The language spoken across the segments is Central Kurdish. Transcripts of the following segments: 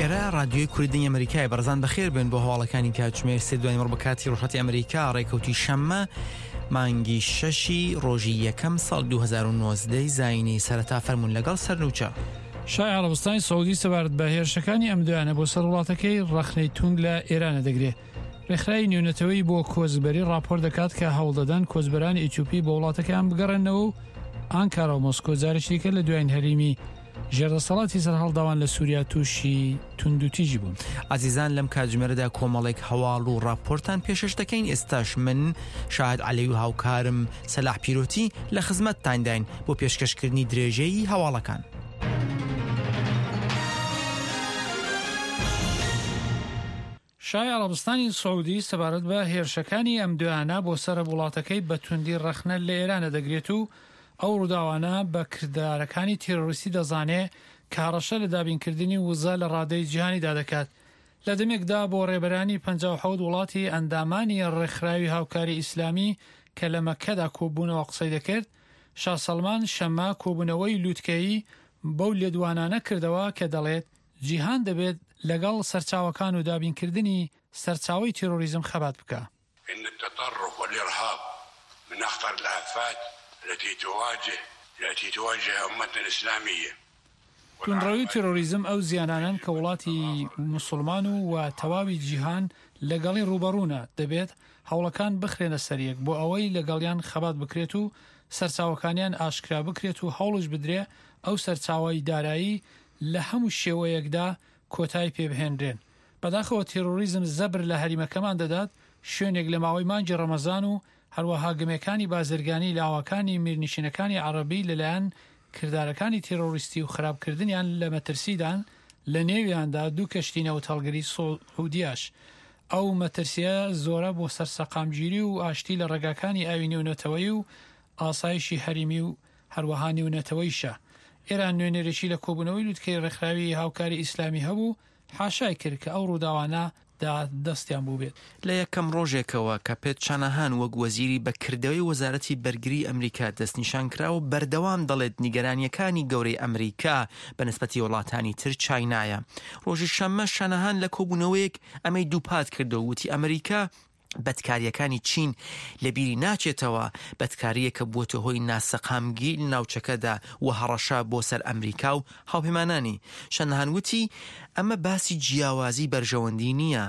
ئێرە ڕادیۆی کوردی دەنگی ئەمریکایە بەڕێزان بەخێر بێن بۆ هەواڵەکانی کاتژمێر سێ دوای نیوەڕۆ بە کاتی ڕۆژهەڵاتی ئەمریکا ڕێکەوتی شەممە مانگی شەشی ڕۆژی یەکەم ساڵ 2019 زایینی سەرەتا فەرموون لەگەڵ سەرنوچە. شای عەڕەبستانی سعودی سەبارەت بە هێرشەکانی ئەم دوایانە بۆ سەر وڵاتەکەی ڕەخنەی توند لە ئێرانە دەگرێ. ڕێکخراوی نێونەتەوەیی بۆ کۆچبەری ڕاپۆرت دەکات کە هەوڵدەدەن کۆچبەرانی ئیتیۆپی بۆ وڵاتەکەیان بگەڕێننەوە و ئانکارا و مۆسکۆ جارێکی دیکە لە دوایین هەریمی ژێردەسەڵاتی سەرهەڵداوان لە سووریا تووشی توندوتیژی بوون. ئازیزان لەم کاتژمێرەدا کۆمەڵێک هەواڵ و ڕاپۆرتان پێشەش دەکەین ئێستاش من شاهد عەلەوی و هاوکارم سەلاح پیرۆتی لە خزمەتتانداین بۆ پێشکەشکردنی درێژەی هەواڵەکان. شای عەڕەبستانی سعودی سەبارەت بە هێرشەکانی ئەم دوایانە بۆ سەر وڵاتەکەی بە توندی ڕەخنە لە ئێرانە دەگرێت و ئەو ڕووداوانە بە کردارەکانی تێرۆریستی دەزانێ کە هەڕەشە لە دابینکردنی وزە لە ڕادەی جیهانیدا دەکات. لە دەمێکدا بۆ ڕێبەرانی 57 وڵاتی ئەندامانی ڕێکخراوی هاوکاری ئیسلامی کە لە مەککەدا کۆببوونەوە قسەی دەکرد، شا سەڵمان شەممە کۆبوونەوەی لووتکەیی بەو لێدوانانە کردەوە کە دەڵێت جیهان دەبێت لەگەڵ سەرچاوەکان و دابینکردنی سەرچاوەی تیرۆریزم خەبات بکا. ان التطرف والارهاب من اخطر الافات التي تواجه التي تواجه امتنا الاسلامية. توندڕەوی و تیرۆریزم ئەو زیانانەن کە وڵاتی موسوڵمان و و تەواوی جیهان لەگەڵی ڕووبەڕوونە، دەبێت هەوڵەکان بخرێنە سەریەک بۆ ئەوەی لەگەڵیان خەبات بکرێت و سەرچاوەکانیان ئاشکرا بکرێت و هەوڵش بدرێ ئەو سەرچاوەی دارایی لە هەموو شێوەیەکدا کۆتای پێ بهێنرێن. بەداخەوە تێرۆریزم زەبر لە هەریمەکەمان دەدات، شوێنێک لە ماوەی مانگی ڕەمەزان و هەروەها گمێکانی بازرگانی لاوەکانی میرنشینەکانی عەڕەبی لەلایەن کردارەکانی تێرۆریستی و خراپکردنیان لە مەترسیدان، لە نێویاندا دوو کەشتی نەوتهەڵگری سعودیاش. ئەو مەترسیە زۆرە بۆ سەر سەقامگیری و ئاشتی لە ڕێگاکانی ئاوی نێونەتەوەیی و ئاسایشی هەریمی و هەروەها نێونەتەوەیشە. ئێران نوێنەرێکی لە کۆبوونەوەی لوتکەی ڕێکخراوی هاوکاری ئیسلامی هەبوو، حاشای کرد کە ئەو ڕووداوانە دا دەستیان بووبێت. لە یەکەم ڕۆژێکەوە کە پێت شاناهان وەک وەزیری بە کردەوەی وەزارەتی بەرگری ئەمریکا دەستنیشان کرا و بەردەوام دەڵێت نیگەرانییەکانی گەورەی ئەمریکا بە نسبەتی وڵاتانی تر چاینایە. ڕۆژی شەممە شاناهان لە کۆبوونەوەیەک ئەمەی دووپات کردەوە وتی ئەمریکا بەدکارییەکانی چین لەبیری ناچێتەوە، بەدکارییەک کە بووەتە هۆی ناسەقامگیری لە ناوچەکەدا و هەڕەشە بۆ سەر ئەمریکا و هاوپەیمانانی. شاناهان وتی، ئەمە باسی جیاوازی بەرژەوەندی نییە،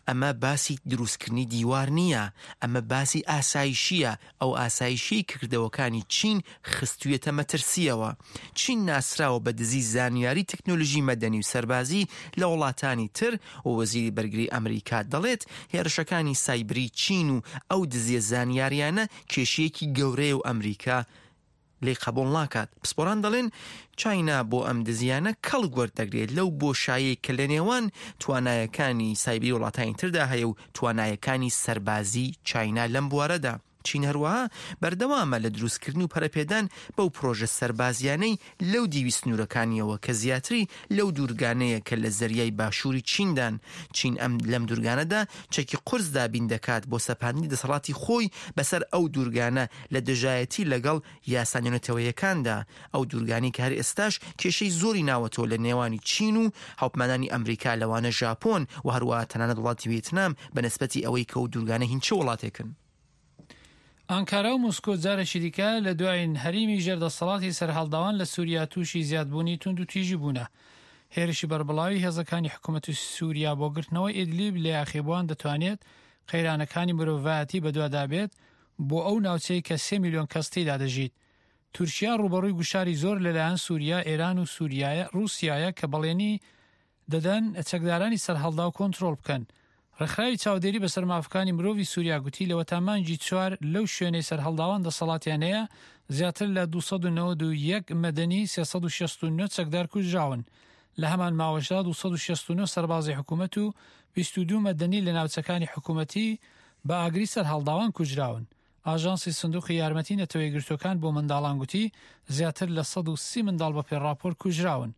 ئەمە باسی دروستکردنی دیوار نییە، ئەمە باسی ئاسایشییە، ئەو ئاسایشیەی کە کردەوەکانی چین خستویەتە مەترسیەوە. چین ناسراوە بە دزی زانیاری تەکنۆلژی مەدەنی و سەربازی لە وڵاتانی تر و وەزیری بەرگری ئەمریکا دەڵێت هێرشەکانی سایبری چین و ئەو دزیە زانیاریانە کێشەیەکی گەورەیە و ئەمریکا لێی قەبوڵ ناکات. پسپۆران دەڵێن چاینا بۆ ئەم دزیانە کەڵک وەردەگرێت لەو بۆشایەی کە لە نێوان توانایەکانی سایبری وڵاتانی تردا هەیە و توانایەکانی سەربازی چاینا لەم بوارەدا. چین هەروەها بەردەوامە لە دروستکردن و پەرەپێدان بەو پرۆژە سەربازیانەی لەو دیوی سنوورەکانیەوە کە زیاتری لەو دوورگانەیە کە لە زەریای باشووری چیندان. چین ئەم لەم دوورگانەدا چەکی قورس دابین دەکات بۆ سەپاندنی دەسەڵاتی خۆی بەسەر ئەو دوورگانە لە دژایەتی لەگەڵ یاسا نێونەتەوەیەکاندا، ئەو دوورگانەی کە هەر ئێستاش کێشەی زۆری ناوەتەوە لە نێوانی چین و هاوپمانانی ئەمریکا لەوانە ژاپۆن و هەروەها تەنانەت وڵاتی وێتنام بە نسبەتی ئەوەی کە ئەو دوورگانە هین چ وڵاتێکن. ئانکارا و مۆسکۆ جارێکی دیکە لە دوایین هەریمی ژێر دەسەڵاتی سەرهەڵداوان لە سوریا تووشی زیادبوونی توندوتیژی بوونە. هێرشی بەربڵاوی هێزەکانی حکومەتی سوریا بۆ گرتنەوەی ئیدلیب لە یاخیبووان دەتوانێت قەیرانەکانی مرۆڤایەتی بەدوادابێت بۆ ئەو ناوچەی کە سێ میلیۆن کەس تێیدا دەژیت. تورکیا ڕووبەڕووی گوشاری زۆر لەلایەن سوریا، ئێران و سوریایە ڕووسیایە کە بەڵێنی دەدەن چەکدارانی سەرهەڵداو کۆنترۆڵ بکەن. ڕێکخراوی چاودێری بەسەر مافەکانی مرۆڤی سوریا گوتی لەوەتا مانگی چوار لەو شوێنەی سەرهەڵداوان دەسەڵاتیان هەیە زیاتر لە 291 مەدەنی 369 چەکدار کوژراون. لە هەمان ماوەشدا 269 سەربازی حکومەت و 22 مەدەنی لە ناوچەکانی حکومەتی بە ئاگری سەرهەڵداوان کوژراون. ئاژانسی سندوقی یارمەتی نەتەوەیەکگرتووەکان بۆ منداڵان گوتی زیاتر لە 130 منداڵ بە پێ ڕاپۆرت کوژراون.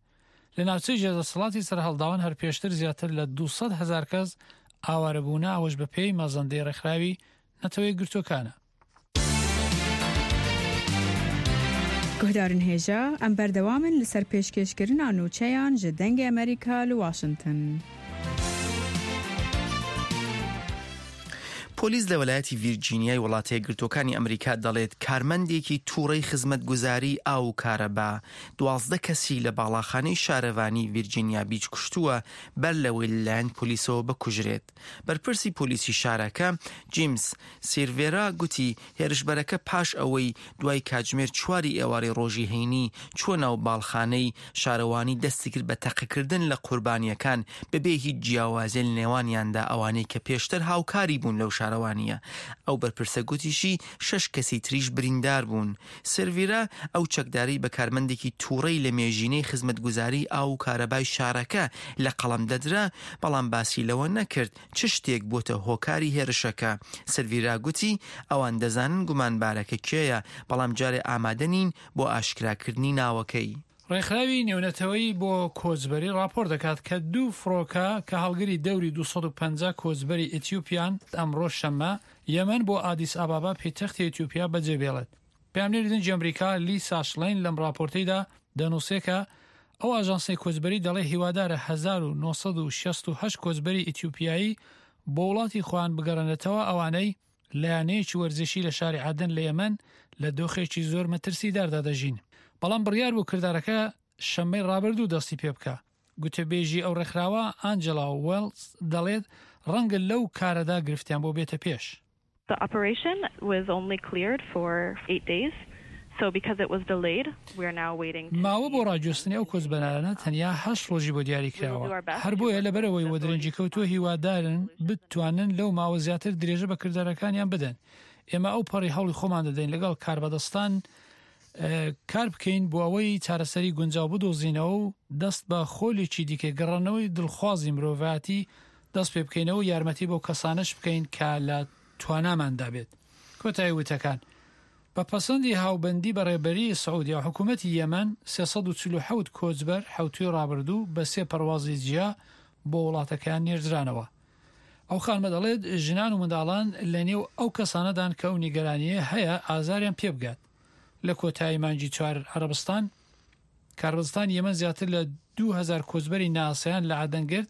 لە ناوچەی ژێردەسەڵاتی سەرهەڵداوان هەر پێشتر زیاتر لە 200 هەزار کەس ئاوارەبوونە ئەوەش بەپێی مەزەندەی ڕێکخراوی نەتەوەیەکگرتووەکانە. Guhdarên hêja, em berdewam in li ser pêşkêşkirina nûçeyan ji Dengê Amerîka li Washington. پۆلیس لە وەلایەتی ڤیرجینیای وڵاتە یەکگرتووەکانی ئەمریکا دەڵێت کارمەندێکی تووڕەی خزمەتگوزاری ئاو و کارەبا 12 کەسی لە باڵاخانەی شارەوانی ڤیرجینیا بیچ کوشتووە بەر لەوەی لەلایەن پۆلیسەوە بکوژرێت. بەرپرسی پۆلیسی شارەکە، جیمس سیرڤێرا گوتی هێرشبەرەکە پاش ئەوەی دوای کاتژمێر چواری ئێوارەی ڕۆژی هەینی چووە ناو باڵخانەی شارەوانی دەستی کرد بە تەقەکردن لە قوربانییەکان بەبێ هیچ جیاوازیە لە نێوانیاندا ئەوانەی کە پێشتر هاوکاری بوون لەو شارەوانییە. ئەو بەرپرسە گوتیشی شەش کەسی تریش بریندار بوون. سێرڤیرا ئەو چەکدارەی بە کارمەندێکی تووڕەی لە مێژینەی خزمەتگوزاریی ئاو و کارەبای شارەکە لە قەڵەم دەدرا، بەڵام باسی لەوە نەکرد چ شتێک بووەتە هۆکاری هێرشەکە. سێرڤیرا گوتی، ئەوان دەزانن گومانبارەکە کێیە، بەڵام جارێ ئامادە نین بۆ ئاشکراکردنی ناوەکەی. ڕێکخراوی نێونەتەوەیی بۆ کۆچبەری ڕاپۆرت دەکات کە دوو فڕۆکە کە هەڵگری دەوری 250 کۆچبەری ئیتیوپیان ئەمڕۆ شەممە یەمەن بۆ ئادیس ئابابا پێتەختی ئیتیوپیا بەجێ بێڵێت. پەیامنێری دەنگی ئەمریکا لیسا شڵین لەم ڕاپۆرتەیدا دەنووسێ کە ئەو ئاژانسەی کۆچبەری دەڵێ هیوادارە 1968 کۆچبەری ئیتیوپیایی بۆ وڵاتی خۆیان بگەڕێنێتەوە ئەوانەی لە یانەیەکی وەرزشی لە شاری عەدەن لە یەمەن لە دۆخێکی زۆر مەترسیداردا دەژین. بەڵام بڕیار بوو کردارەکە شەممەی ڕابردوو دەستی پێبکا. گوتەبێژی ئەو ڕێکخراوە، ئانجێلا وێڵز دەڵێت ڕەنگە لەو کارەدا گرفتیان بۆ بێتە پێش. The operation was only cleared for eight days, so because it was delayed, we are now waiting to see. ماوە بۆ ڕاگوێستنی ئەو کۆچبەرانە تەنیا هەشت ڕۆژی بۆ دیاری کراوە، هەر بۆیە لەبەرئەوەی وەدرەنگی کەوتووە هیوادارن بتوانن لەو ماوە زیاتر درێژە بە کردارەکانیان بدەن. ئێمە ئەو پەڕی هەوڵی خۆمان دەدەین لەگەڵ کاربەدەستان کار بکەین بۆ ئەوەی چارەسەری گونجاو بدۆزینەوە و دەست بە خۆلێکی دیکەی گەڕانەوەی دڵخوازی مرۆڤایەتی دەست پێ بکەینەوە و یارمەتی بەو کەسانەش بکەین کە لە تواناماندا بێت. کۆتایی وتەکان. بە پەسەندی هاوبەندی بە ڕێبەریی سعودیا و حکوومەتی یەمەن، 347 کۆچبەر حەوتووی ڕابردوو بە سێ پەروازی جیا بۆ وڵاتەکەیان نێردرانەوە. ئەو خانمە دەڵێت، ژنان و منداڵان لە نێو ئەو کەسانەدان کە ئەو نیگەرانییە هەیە ئازاریان پێ بگات. لە کۆتایی مانگی چوار عەرەبستان، کاربەدەستانی یەمەن زیاتر لە 2000 کۆچبەری ناسیان لە عەدەن گرت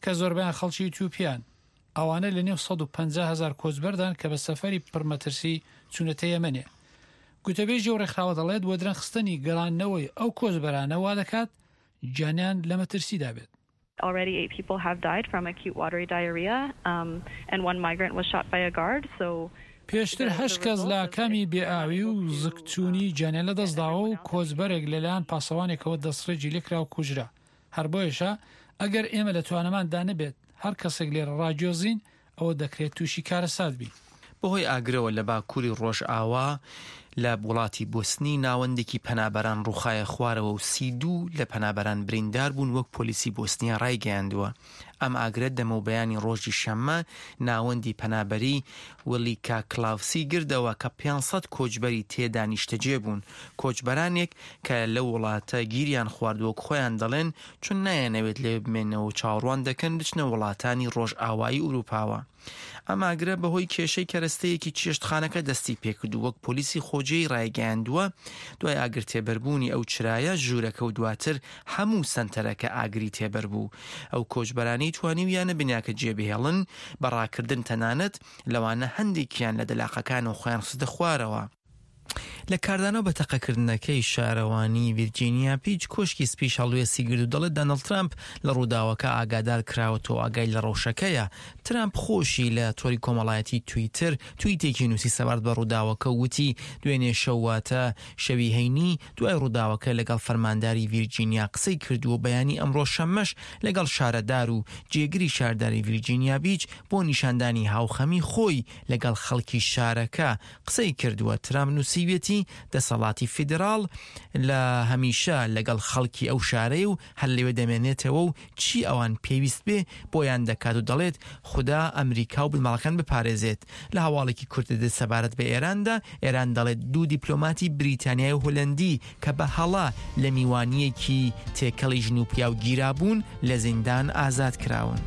کە زۆربەیان خەڵکی ئیتیوپیان. ئەوانە لە نێو 150 هەزار کۆچبەردان کە بە سەفەری پڕمەترسی چوونەتە یەمەنێ. گوتەبێژی ئەو ڕێکخراوە دەڵێت وەدرەنگخستنی گەڕاندنەوەی ئەو کۆچبەرانە وا دەکات گیانیان لە مەترسیدا بێت. Already eight people have died from acute watery diarrhea and one migrant was shot by a guard so پێشتر هەشت کەس لە ئاکامی بێ ئاوی و زگچوونی گیانیان لەدەستداوە و کۆچبەرێک لەلایەن پاسەوانێکەوە دەستڕێژی لێکرا و کوژرا. هەر بۆیەشە ئەگەر ئێمە لە توانەماندا نەبێت هەر کەسێک لێرە ڕاگوێزین ئەوە دەکرێت تووشی کارەسات بین. بەهۆی ئاگرەوە لە باکووری ڕۆژئاوا لە وڵاتی بۆسنی ناوەندێکی پەنابەران ڕووخایە خوارەوە و 32 لە پەنابەران بریندار بوون وەک پۆلیسی بۆسنیا ڕایگەیاندووە. ئەم ئاگرە دەمەوبەیانی ڕۆژی شەممە ناوەندی پەنابەری ولیکا کلاوسی گردەوە کە 500 کۆچبەری تێدا نیشتەجێ بوون. کۆچبەرانێک کە لەو وڵاتە گیریان خواردووە وەک خۆیان دەڵێن چون نایانەوێت لەوێ بمێنەوە و چاوەڕوان دەکەن بچنە وڵاتانی ڕۆژئاوایی ئورووپاوە. ئەم ئاگرە بەهۆی کێشەی کەرەستەیەکی چێشتخانەکە دەستی پێکرد و وەک پۆلیسی خۆجێی ڕایگەیاندووە، دوای ئاگر تێبەربوونی ئەو چرایە، ژوورەکە و دواتر هەموو سەنتەرەکە ئاگری تێبەربوو. ئەو کۆچبەرانەی توانیویانە بیناکە جێبهێڵن بە ڕاکردن تەنانەت لەوانە هەندێکیان لە دەلاقەکانەوە خۆیان خستە خوارەوە. لە کاردانەوە بە تەقەکردنەکەی شارەوانی ڤیرجینیا بیچ، کۆشکی سپیش هەڵوێستی گرت و دەڵێت دانڵد ترامپ لە ڕووداوەکە ئاگادار کراوەتەوە و ئاگای لە ڕەوشەکەیە. ترامپ خۆشی لە تۆری کۆمەڵایەتی تویتر تویتێکی نووسی سەبارەت بە ڕووداوەکە و وتی دوێنێ شەو واتە شەوی هەینی دوای ڕووداوەکە لەگەڵ فەرمانداری ڤیرجینیا قسەی کردووە و بەیانی ئەمڕۆ شەممەش لەگەڵ شارەدار و جێگری شارداری ڤیرجینیا بیچ بۆ نیشاندانی هاوخەمی خۆی لەگەڵ خەڵکی شارەکە قسەی کردووە. ترامپ نووسیویەتی، دەسەڵاتی فیدراڵ لە هەمیشە لەگەڵ خەڵکی ئەو شارەیە و هەر لەوێ دەمێنێتەوە و چی ئەوان پێویست بێ بۆیان دەکات و دەڵێت خودا ئەمریکا و بنەماڵەکان بپارێزێت. لە هەواڵێکی کورتدا سەبارەت بە ئێراندا، ئێران دەڵێت دوو دیپلۆماتی بریتانیای و هۆلەندی کە بە هەڵە لە میوانییەکی تێکەڵی ژن و پیاو گیرابوون، لە زیندان ئازاد کراون.